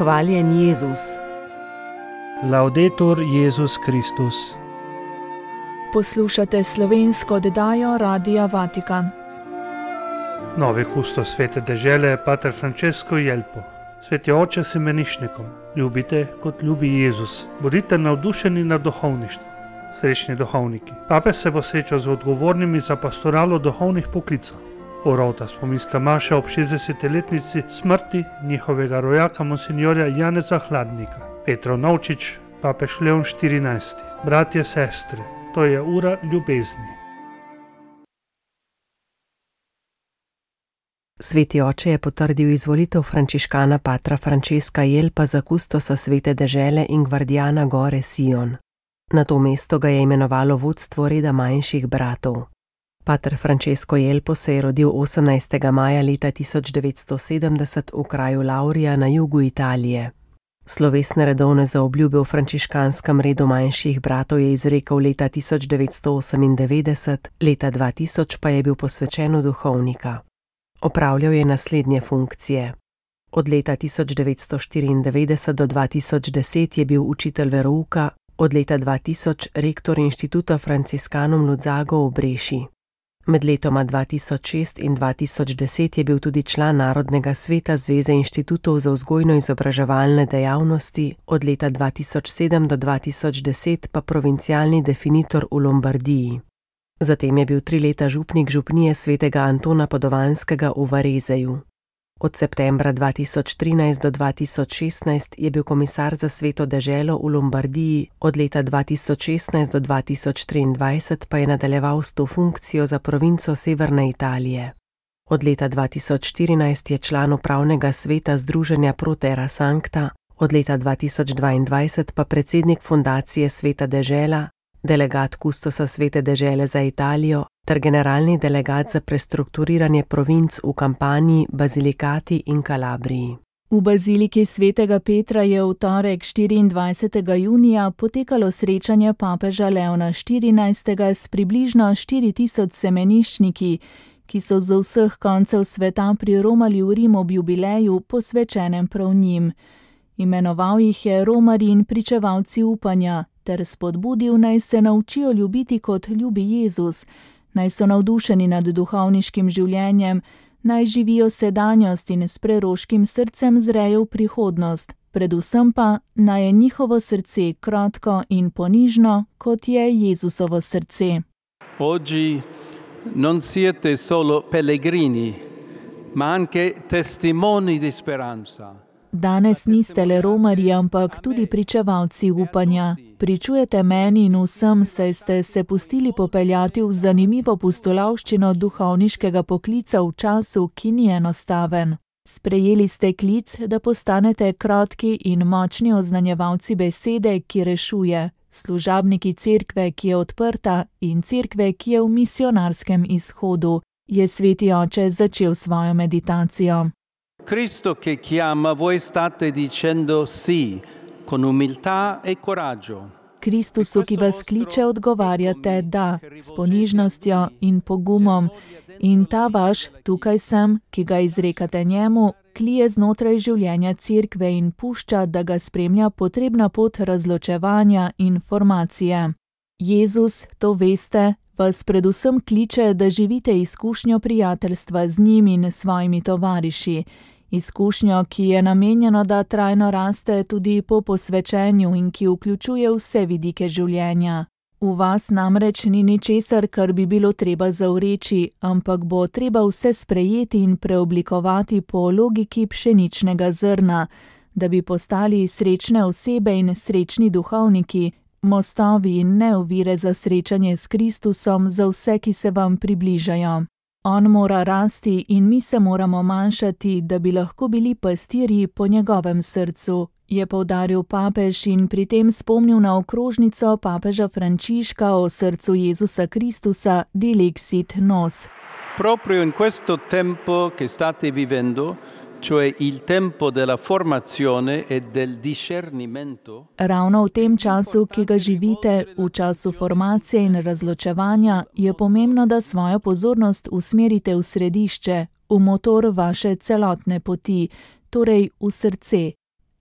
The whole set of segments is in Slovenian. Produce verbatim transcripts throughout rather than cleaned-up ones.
Hvaljen Jezus. Laudetur Jezus Kristus. Poslušate slovensko oddajo Radia Vatikan. Novi kustos svete dežele, pater Francesco Jelpo. Sveti oče semenišnikom, ljubite kot ljubi Jezus. Bodite navdušeni nad duhovništvom. Srečni duhovniki. Papež se bo srečal z odgovornimi za pastoralo duhovnih poklicov. Orovta spominska maša ob šestdesetletnici smrti njihovega rojaka monsinjorja Janeza Hladnika. Petrov Novčič, papež Leon štirinajsti. Bratje, sestre, to je ura ljubezni. Sveti oče je potrdil izvolitev frančiškana patra Francesca Jelpa za kustosa svete dežele in gvardijana gore Sion. Na to mesto ga je imenovalo vodstvo reda manjših bratov. Pater Francesco Jelpo se je rodil osemnajstega maja leta tisoč devetsto sedemdeset v kraju Laurija na jugu Italije. Slovesne redovne zaobljube v frančiškanskem redu manjših bratov je izrekel leta tisoč devetsto osemindevetdeset, leta dva tisoč pa je bil posvečen v duhovnika. Opravljal je naslednje funkcije. Od leta tisoč devetsto štiriindevetdeset do dva tisoč deset je bil učitelj verouka, od leta dva tisoč rektor inštituta Franciscanum Luzzago v Breši. Med letoma dva tisoč šest in dva tisoč deset je bil tudi član Narodnega sveta Zveze inštitutov za vzgojno-izobraževalne dejavnosti, od leta dva tisoč sedem do dva tisoč deset pa provincialni definitor v Lombardiji. Zatem je bil tri leta župnik župnije svetega Antona Padovanskega v Varezeju. Od septembra dva tisoč trinajst do dva tisoč šestnajst je bil komisar za sveto deželo v Lombardiji, od leta dva tisoč šestnajst do dva tisoč triindvajset pa je nadaljeval s to funkcijo za provinco Severne Italije. Od leta dva tisoč štirinajst je član upravnega sveta Združenja Pro Terra Sancta, od leta dva tisoč dvaindvajset pa predsednik fundacije Sveta dežela, delegat kustosa svete dežele za Italijo ter generalni delegat za prestrukturiranje provinc v Kampaniji, Bazilikati in Kalabriji. V baziliki svetega Petra je v torek štiriindvajsetega junija potekalo srečanje papeža Leona štirinajstega s približno štiri tisoč semeniščniki, ki so z vseh koncev sveta priromali v Rim ob jubileju, posvečenem prav njim. Imenoval jih je romarji in pričevalci upanja, ter spodbudil, naj se naučijo ljubiti kot ljubi Jezus, naj so navdušeni nad duhovniškim življenjem, naj živijo sedanjost in s preroškim srcem zrejo v prihodnost, predvsem pa naj je njihovo srce krotko in ponižno, kot je Jezusovo srce. Oggi non siete solo pellegrini, ma anche testimoni di speranza. Danes niste le romarji, ampak tudi pričevalci upanja. Pričujete meni in vsem, saj ste se pustili popeljati v zanimivo pustolovščino duhovniškega poklica v času, ki ni enostaven. Sprejeli ste klic, da postanete krotki in močni oznanjevalci besede, ki rešuje, služabniki cerkve, ki je odprta, in cerkve, ki je v misionarskem izhodu, je sveti oče začel svojo meditacijo. Cristo che chiama, voi state dicendo sì, con umiltà e coraggio. Kristusu, ki vas kliče, odgovarjate da, s ponižnostjo in pogumom. In ta vaš, tukaj sem, ki ga izrekate njemu, klije znotraj življenja cerkve in pušča, da ga spremlja potrebna pot razločevanja in formacije. Jezus, to veste, vas predvsem kliče, da živite izkušnjo prijateljstva z njim in svojimi tovariši. Izkušnjo, ki je namenjeno, da trajno raste tudi po posvečenju in ki vključuje vse vidike življenja. V vas namreč ni ničesar, kar bi bilo treba zavreči, ampak bo treba vse sprejeti in preoblikovati po logiki pšeničnega zrna, da bi postali srečne osebe in srečni duhovniki, mostovi in ne ovire za srečanje s Kristusom za vse, ki se vam približajo. On mora rasti in mi se moramo manjšati, da bi lahko bili pastirji po njegovem srcu, je poudaril papež in pri tem spomnil na okrožnico papeža Frančiška o srcu Jezusa Kristusa Dilexit Nos. Proprio in questo tempo che state vivendo, cioè il tempo della formazione e del discernimento. Ravno v tem času, ki ga živite, v času formacije in razločevanja, je pomembno, da svojo pozornost usmerite v središče, v motor vaše celotne poti, torej v srce.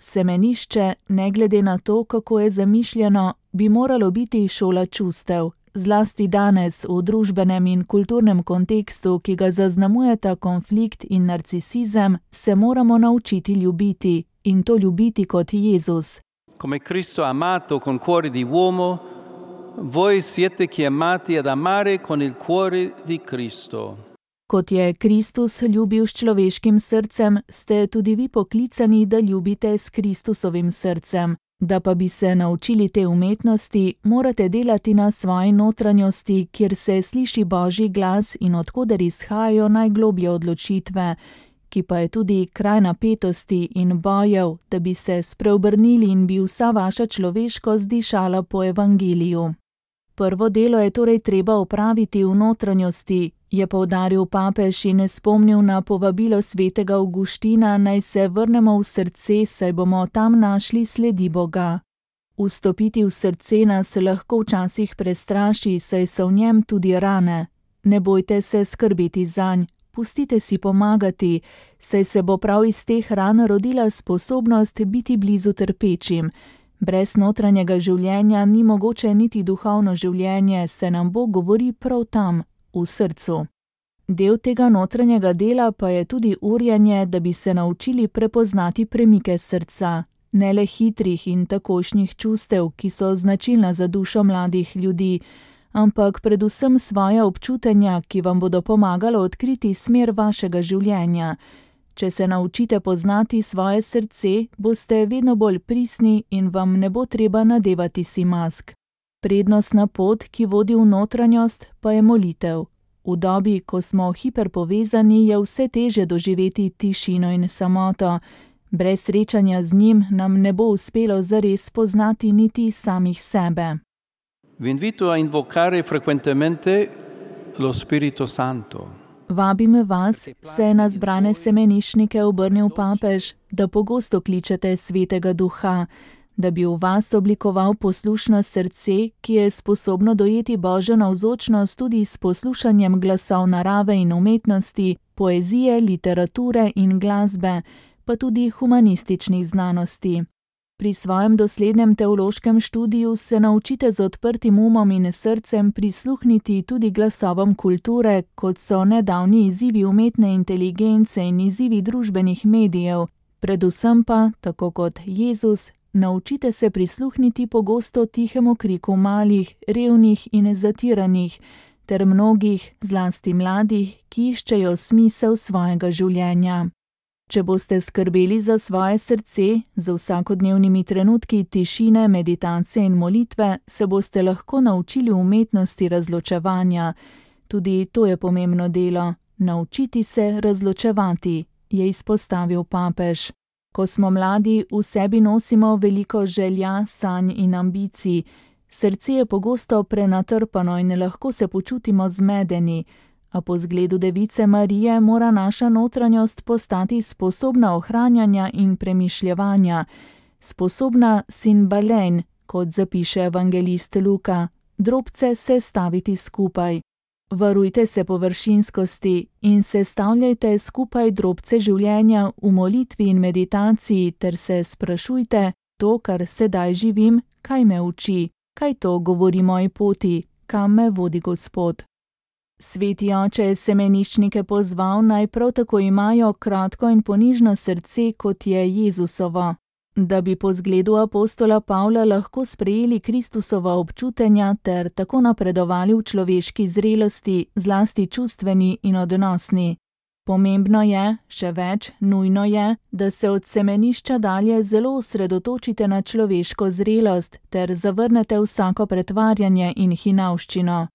Semenišče, ne glede na to, kako je zamišljeno, bi moralo biti šola čustev. Zlasti danes, v družbenem in kulturnem kontekstu, ki ga zaznamujeta konflikt in narcisizem, se moramo naučiti ljubiti, in to ljubiti kot Jezus. Come Cristo ha amato con cuore di uomo, voi siete chiamati ad amare con il cuore di Cristo. Kot je Kristus ljubil s človeškim srcem, ste tudi vi poklicani, da ljubite s Kristusovim srcem. Da pa bi se naučili te umetnosti, morate delati na svoji notranjosti, kjer se sliši Božji glas in odkoder izhajajo najgloblje odločitve, ki pa je tudi kraj napetosti in bojev, da bi se spreobrnili in bi vsa vaša človeškost dišala po evangeliju. Prvo delo je torej treba opraviti v notranjosti, je poudaril papež in spomnil na povabilo svetega Avguština, naj se vrnemo v srce, saj bomo tam našli sledi Boga. Vstopiti v srce nas lahko včasih prestraši, saj so v njem tudi rane. Ne bojte se skrbeti zanj, pustite si pomagati, saj se bo prav iz teh ran rodila sposobnost biti blizu trpečim. Brez notranjega življenja ni mogoče niti duhovno življenje, se nam Bog govori prav tam, v srcu. Del tega notranjega dela pa je tudi urjenje, da bi se naučili prepoznati premike srca, ne le hitrih in takošnjih čustev, ki so značilna za dušo mladih ljudi, ampak predvsem svoja občutenja, ki vam bodo pomagala odkriti smer vašega življenja. Če se naučite poznati svoje srce, boste vedno bolj pristni in vam ne bo treba nadevati si mask. Prednostna pot, ki vodi v notranjost, pa je molitev. V dobi, ko smo hiperpovezani, je vse težje doživeti tišino in samoto. Brez srečanja z njim nam ne bo uspelo zares poznati niti samih sebe. Vi invito a invocare frequentemente lo Spirito Santo. Vabim vas, se je na zbrane semenišnike obrnil papež, da pogosto kličete Svetega Duha, da bi v vas oblikoval poslušno srce, ki je sposobno dojeti Božjo navzočnost tudi s poslušanjem glasov narave in umetnosti, poezije, literature in glasbe, pa tudi humanističnih znanosti. Pri svojem doslednem teološkem študiju se naučite z odprtim umom in srcem prisluhniti tudi glasovom kulture, kot so nedavni izzivi umetne inteligence in izzivi družbenih medijev, predvsem pa, tako kot Jezus, naučite se prisluhniti pogosto tihemu kriku malih, revnih in zatiranih, ter mnogih, zlasti mladih, ki iščejo smisel svojega življenja. Če boste skrbeli za svoje srce, z vsakodnevnimi trenutki tišine, meditacije in molitve, se boste lahko naučili umetnosti razločevanja. Tudi to je pomembno delo, naučiti se razločevati, je izpostavil papež. Ko smo mladi, v sebi nosimo veliko želja, sanj in ambicij. Srce je pogosto prenatrpano in lahko se počutimo zmedeni, a po zgledu device Marije mora naša notranjost postati sposobna ohranjanja in premišljevanja, sposobna sinbalein, kot zapiše evangelist Luka, drobce se staviti skupaj. Varujte se površinskosti in sestavljajte skupaj drobce življenja v molitvi in meditaciji ter se sprašujte, to, kar sedaj živim, kaj me uči, kaj to govori moji poti, kam me vodi Gospod. Sveti oče je semeniščnike pozval, naj prav tako imajo kratko in ponižno srce, kot je Jezusovo, da bi po zgledu apostola Pavla lahko sprejeli Kristusova občutenja ter tako napredovali v človeški zrelosti, zlasti čustveni in odnosni. Pomembno je, še več, nujno je, da se od semenišča dalje zelo osredotočite na človeško zrelost ter zavrnete vsako pretvarjanje in hinavščino.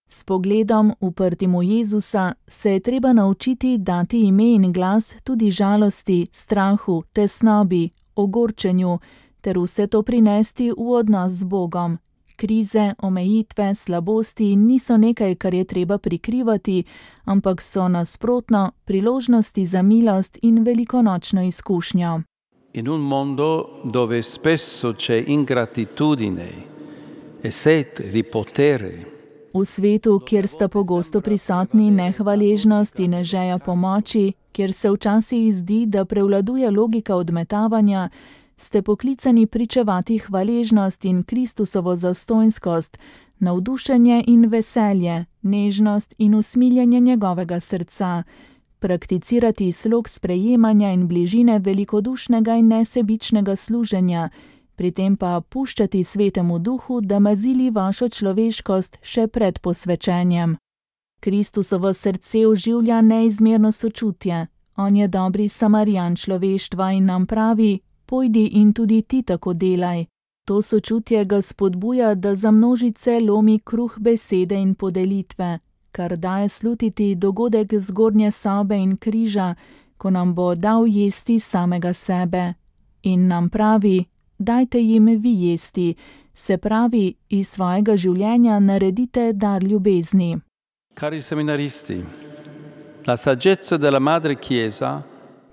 S pogledom, uprtim v Jezusa, se je treba naučiti dati ime in glas tudi žalosti, strahu, tesnobi, ogorčenju, ter vse to prinesti v odnos z Bogom. Krize, omejitve, slabosti niso nekaj, kar je treba prikrivati, ampak so nasprotno priložnosti za milost in velikonočno izkušnjo. In un mondo dove spesso c'è ingratitudine e sete di potere. V svetu, kjer sta pogosto prisotni nehvaležnost in želja pomoči, kjer se včasih zdi, da prevladuje logika odmetavanja, ste poklicani pričevati hvaležnost in Kristusovo zastonjskost, navdušenje in veselje, nežnost in usmiljenje njegovega srca, prakticirati slog sprejemanja in bližine velikodušnega in nesebičnega služenja, pri tem pa puščati Svetemu Duhu, da mazili vašo človeškost še pred posvečenjem. Kristusovo srce oživlja neizmerno sočutje. On je dobri Samarijan človeštva in nam pravi: pojdi in tudi ti tako delaj. To sočutje ga spodbuja, da za množice lomi kruh besede in podelitve, kar daje slutiti dogodek zgornje sobe in križa, ko nam bo dal jesti samega sebe. In nam pravi: dajte jim vi jesti, se pravi, iz svojega življenja naredite dar ljubezni. Cari seminaristi, la saggezza della Madre Chiesa,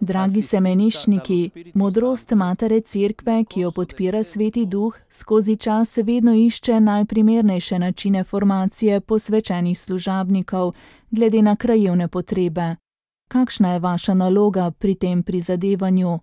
dragi semeniščniki, modrost Matere Cerkve, ki jo podpira Sveti Duh, skozi čas vedno išče najprimernejše načine formacije posvečenih služabnikov, glede na krajevne potrebe. Kakšna je vaša naloga pri tem prizadevanju?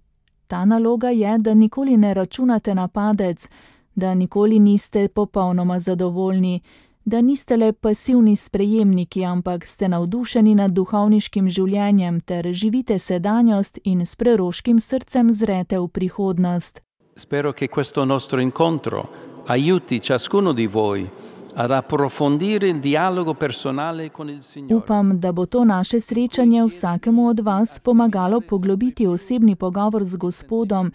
Ta naloga je, da nikoli ne računate na padec, da nikoli niste popolnoma zadovoljni, da niste le pasivni sprejemniki, ampak ste navdušeni nad duhovniškim življenjem ter živite sedanjost in s preroškim srcem zrete v prihodnost. Spero che questo nostro incontro aiuti ciascuno di voi ad approfondire il dialogo personale con il Signore. Upam, da bo to naše srečanje vsakemu od vas pomagalo poglobiti osebni pogovor z Gospodom,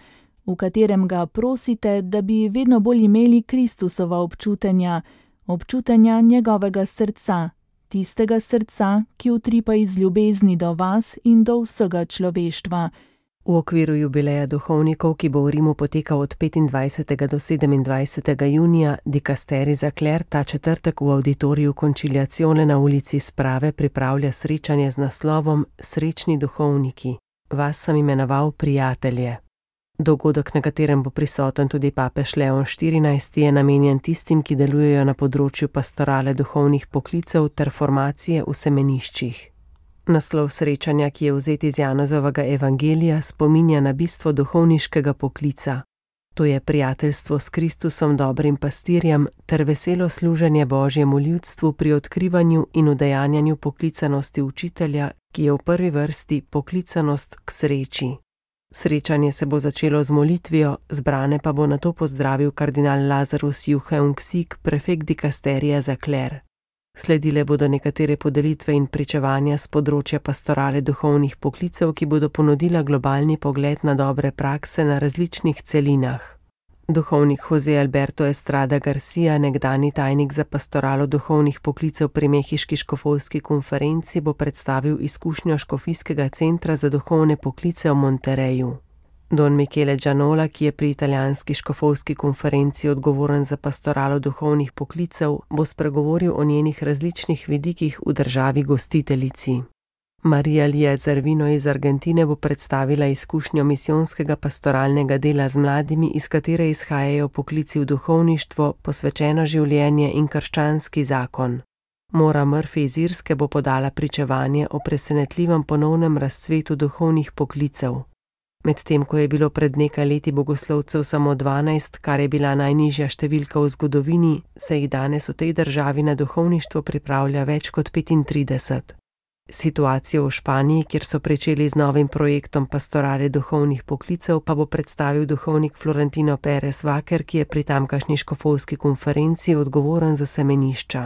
v katerem ga prosite, da bi vedno bolj imeli Kristusova občutenja, občutenja njegovega srca, tistega srca, ki utripa iz ljubezni do vas in do vsega človeštva. V okviru jubileja duhovnikov, ki bo v Rimu potekal od petindvajsetega do sedemindvajsetega junija, dikasterij za kler ta četrtek v auditoriju Conciliazione na ulici Sprave pripravlja srečanje z naslovom Srečni duhovniki. Vas sem imenoval prijatelje. Dogodek, na katerem bo prisoten tudi papež Leon štirinajsti, je namenjen tistim, ki delujejo na področju pastorale duhovnih poklicev ter formacije v semeniščih. Naslov srečanja, ki je vzet iz Janezovega evangelija, spominja na bistvo duhovniškega poklica. To je prijateljstvo s Kristusom dobrim pastirjem ter veselo služenje Božjemu ljudstvu pri odkrivanju in udejanjanju poklicanosti učitelja, ki je v prvi vrsti poklicanost k sreči. Srečanje se bo začelo z molitvijo, zbrane pa bo nato pozdravil kardinal Lazarus Jucheung-Sik, prefekt dikasterija za kler. Sledile bodo nekatere podelitve in pričevanja z področja pastorale duhovnih poklicev, ki bodo ponudila globalni pogled na dobre prakse na različnih celinah. Duhovnik Jose Alberto Estrada Garcia, nekdani tajnik za pastoralo duhovnih poklicev pri Mehiški škofovski konferenci, bo predstavil izkušnjo škofijskega centra za duhovne poklice v Monterreju. Don Michele Gianola, ki je pri italijanski škofovski konferenci odgovoren za pastoralo duhovnih poklicev, bo spregovoril o njenih različnih vidikih v državi gostiteljici. Marija Lija Zervino iz Argentine bo predstavila izkušnjo misijonskega pastoralnega dela z mladimi, iz katere izhajajo poklici v duhovništvo, posvečeno življenje in krščanski zakon. Mora Murphy iz Irske bo podala pričevanje o presenetljivem ponovnem razcvetu duhovnih poklicev. Medtem ko je bilo pred nekaj leti bogoslovcev samo dvanajst, kar je bila najnižja številka v zgodovini, se jih danes v tej državi na duhovništvo pripravlja več kot petintrideset. Situacijo v Španiji, kjer so pričeli z novim projektom pastorale duhovnih poklicev, pa bo predstavil duhovnik Florentino Pérez Vaquer, ki je pri tamkajšnji škofovski konferenci odgovoren za semenišča.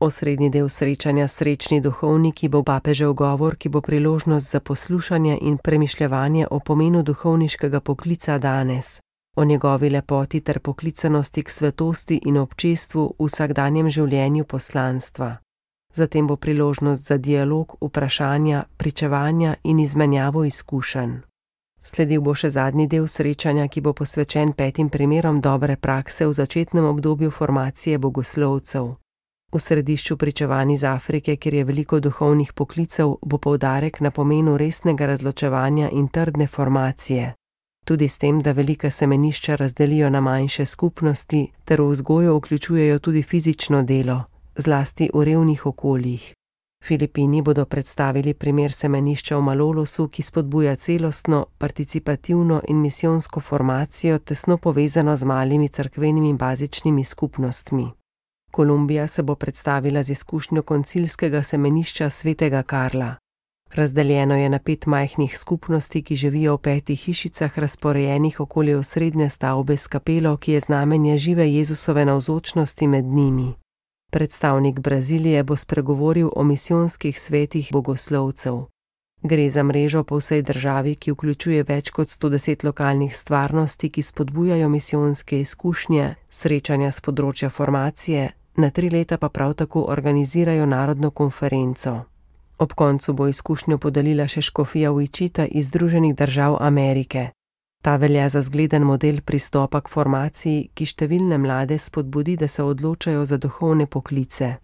Osrednji del srečanja Srečni duhovniki bo papežev govor, ki bo priložnost za poslušanje in premišljevanje o pomenu duhovniškega poklica danes, o njegovi lepoti ter poklicanosti k svetosti in občestvu v vsakdanjem življenju poslanstva. Zatem bo priložnost za dialog, vprašanja, pričevanja in izmenjavo izkušenj. Sledil bo še zadnji del srečanja, ki bo posvečen petim primerom dobre prakse v začetnem obdobju formacije bogoslovcev. V središču pričevanj iz Afrike, kjer je veliko duhovnih poklicev, bo poudarek na pomenu resnega razločevanja in trdne formacije. Tudi s tem, da velika semenišča razdelijo na manjše skupnosti, ter v vzgojo vključujejo tudi fizično delo, zlasti v revnih okoljih. Filipini bodo predstavili primer semenišča v Malolosu, ki spodbuja celostno, participativno in misijonsko formacijo, tesno povezano z malimi cerkvenimi bazičnimi skupnostmi. Kolumbija se bo predstavila z izkušnjo koncilskega semenišča svetega Karla. Razdeljeno je na pet majhnih skupnosti, ki živijo v petih hišicah, razporejenih okoli osrednje stavbe s kapelo, ki je znamenje žive Jezusove navzočnosti med njimi. Predstavnik Brazilije bo spregovoril o misijonskih svetih bogoslovcev. Gre za mrežo po vsej državi, ki vključuje več kot sto deset lokalnih stvarnosti, ki spodbujajo misijonske izkušnje, srečanja s področja formacije, na tri leta pa prav tako organizirajo narodno konferenco. Ob koncu bo izkušnjo podelila še škofija Wichita iz Združenih držav Amerike. Ta velja za zgleden model pristopa k formaciji, ki številne mlade spodbudi, da se odločajo za duhovne poklice.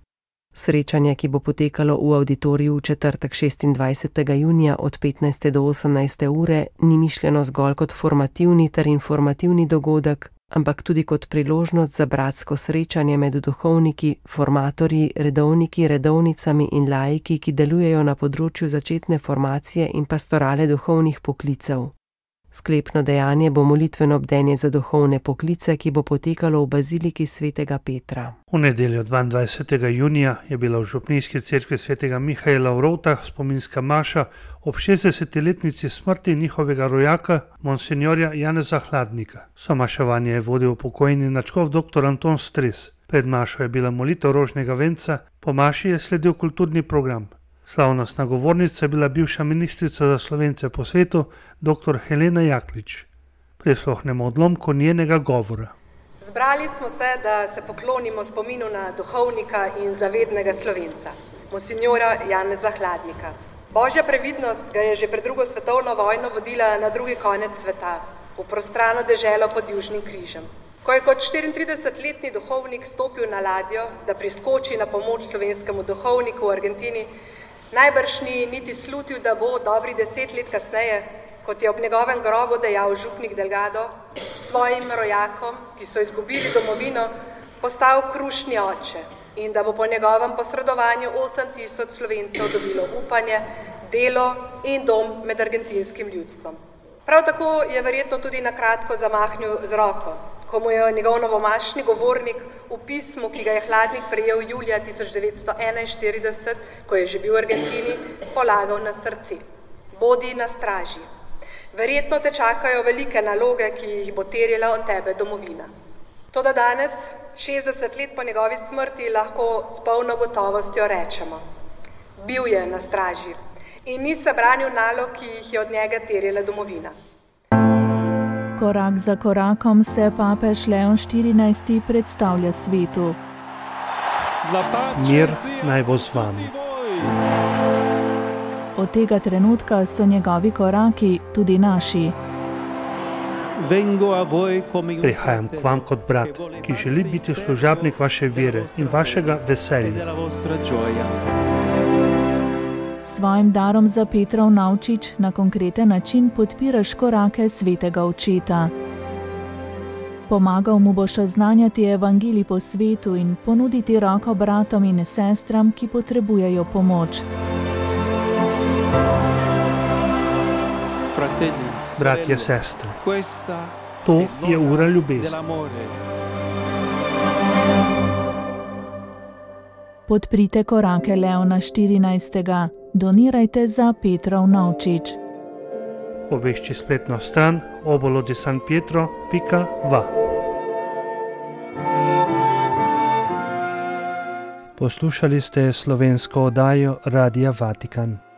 Srečanje, ki bo potekalo v avditoriju v četrtek šestindvajsetega junija od petnajste do osemnajste ure, ni mišljeno zgolj kot formativni ter informativni dogodek, ampak tudi kot priložnost za bratsko srečanje med duhovniki, formatorji, redovniki, redovnicami in laiki, ki delujejo na področju začetne formacije in pastorale duhovnih poklicev. Sklepno dejanje bo molitveno bdenje za duhovne poklice, ki bo potekalo v baziliki svetega Petra. V nedeljo dvaindvajsetega junija je bila v župnijski cerkvi svetega Mihaela v Rovtah spominska maša ob šestdesetletnici smrti njihovega rojaka, monsinjorja Janeza Hladnika. Somaševanje je vodil pokojni nadškof dr. Anton Stres. Pred mašo je bila molitev rožnega venca, po maši je sledil kulturni program. Slavnostna govornica je bila bivša ministrica za Slovence po svetu, dr. Helena Jaklič. Prisluhnemo odlomku njenega govora. Zbrali smo se, da se poklonimo spominu na duhovnika in zavednega Slovenca, monsinjora Janeza Hladnika. Božja previdnost ga je že pred drugo svetovno vojno vodila na drugi konec sveta, v prostrano deželo pod Južnim križem. Ko je kot štiriintridesetletni duhovnik stopil na ladjo, da priskoči na pomoč slovenskemu duhovniku v Argentini, najbrž ni niti slutil, da bo dobri deset let kasneje, kot je ob njegovem grobu dejal župnik Delgado, svojim rojakom, ki so izgubili domovino, postal krušni oče in da bo po njegovem posredovanju osem tisoč Slovencev dobilo upanje, delo in dom med argentinskim ljudstvom. Prav tako je verjetno tudi na kratko zamahnil z roko, ko mu je njegov novomašni govornik v pismu, ki ga je Hladnik prejel julija tisoč devetsto enainštirideset, ko je že bil v Argentini, polagal na srce. Bodi na straži. Verjetno te čakajo velike naloge, ki jih bo terjala od tebe domovina. Toda danes, šestdeset let po njegovi smrti, lahko s polno gotovostjo rečemo: bil je na straži in ni se branil nalog, ki jih je od njega terjala domovina. Korak za korakom se papež Leon štirinajsti predstavlja svetu. Mir naj bo z vami. Od tega trenutka so njegovi koraki tudi naši. Prihajam k vam kot brat, ki želi biti služabnik vaše vere in vašega veselja. S svojim darom za Petrov Navčič na konkreten način podpiraš korake svetega očeta. Pomagal mu boš oznanjati evangelij po svetu in ponuditi roko bratom in sestram, ki potrebujejo pomoč. Bratje, sestre, to je ura ljubezni. Podprite korake Leona štirinajstega. Donirajte za Petrov Navčič. Obišči spletno stran obolo di san pietro pika va. Poslušali ste slovensko oddajo Radia Vatikan.